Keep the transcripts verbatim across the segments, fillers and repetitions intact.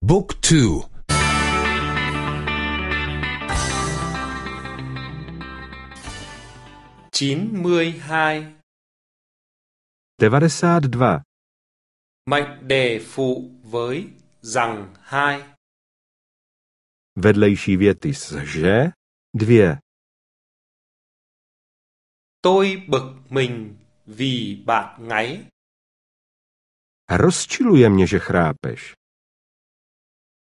Book two. chín mươi hai. devadesát dva. Mệnh đề phụ với rằng hai. Vedlejší věty s že, dvě. Tôi bực mình vì bạn ngáy. Rozčiluje mě, že chrápeš.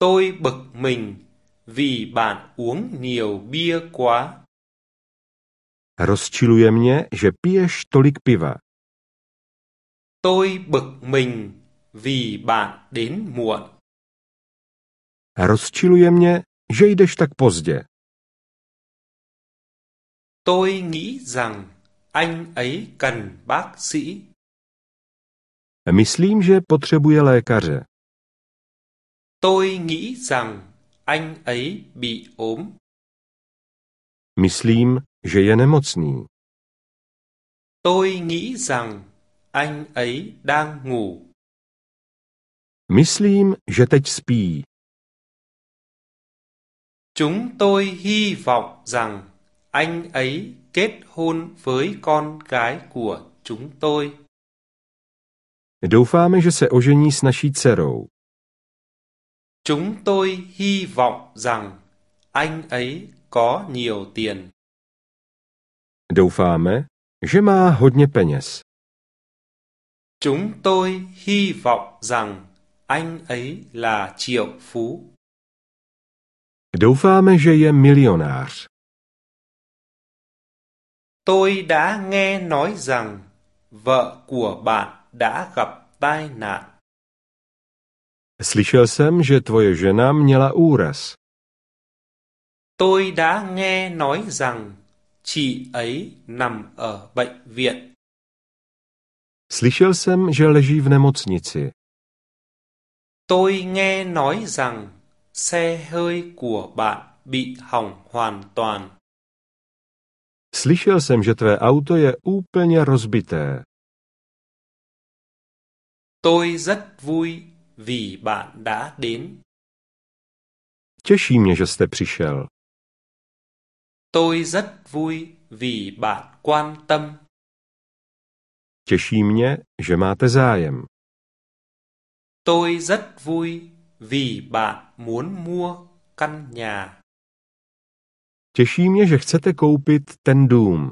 Tôi bực mình vì bạn uống nhiều bia quá. Rozčiluje mě, že piješ tolik piva. Tôi bực mình vì bạn đến muộn. Rozčiluje mě, že jdeš tak pozdě. Tôi nghĩ rằng anh ấy cần bác sĩ. Myslím, že potřebuje lékaře. Tôi nghĩ rằng anh ấy bị ốm. Myslím, že je nemocný. Tôi nghĩ rằng anh ấy đang ngủ. Myslím, že teď spí. Chúng tôi hy vọng rằng anh ấy kết hôn với con gái của chúng tôi. Doufáme, že se ožení s naší dcerou. Chúng tôi hy vọng rằng anh ấy có nhiều tiền. Doufáme, že má hodně peněz. Chúng tôi hy vọng rằng anh ấy là triệu phú. Doufáme, že je milionář. Tôi đã nghe nói rằng vợ của bạn đã gặp tai nạn. Slyšel jsem, že tvoje žena měla úraz. Tôi đã nghe nói rằng chị ấy nằm ở bệnh viện. Slyšel jsem, že leží v nemocnici. Tôi nghe nói rằng xe hơi của bạn bị hỏng hoàn toàn. Slyšel jsem, že tvé auto je úplně rozbité. Tôi rất vui vì bạn đã đến. Těší mě, že jste přišel. Tôi rất vui vì bạn quan tâm. Těší mě, že máte zájem. Tôi rất vui vì bạn muốn mua căn nhà. Těší mě, že chcete koupit ten dům.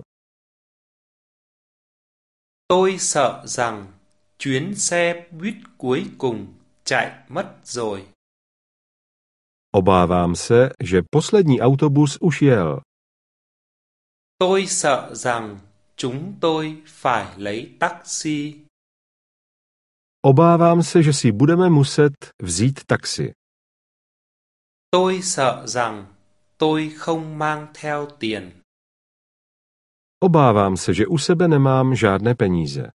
Tôi sợ rằng chuyến xe buýt cuối cùng chạy mất rồi. Obávám se, že poslední autobus už jel. Tôi sợ rằng chúng tôi phải lấy taxi. Obávám se, že si budeme muset vzít taxi. Tôi sợ rằng tôi không mang theo tiền. Obávám se, že u sebe nemám žádné peníze.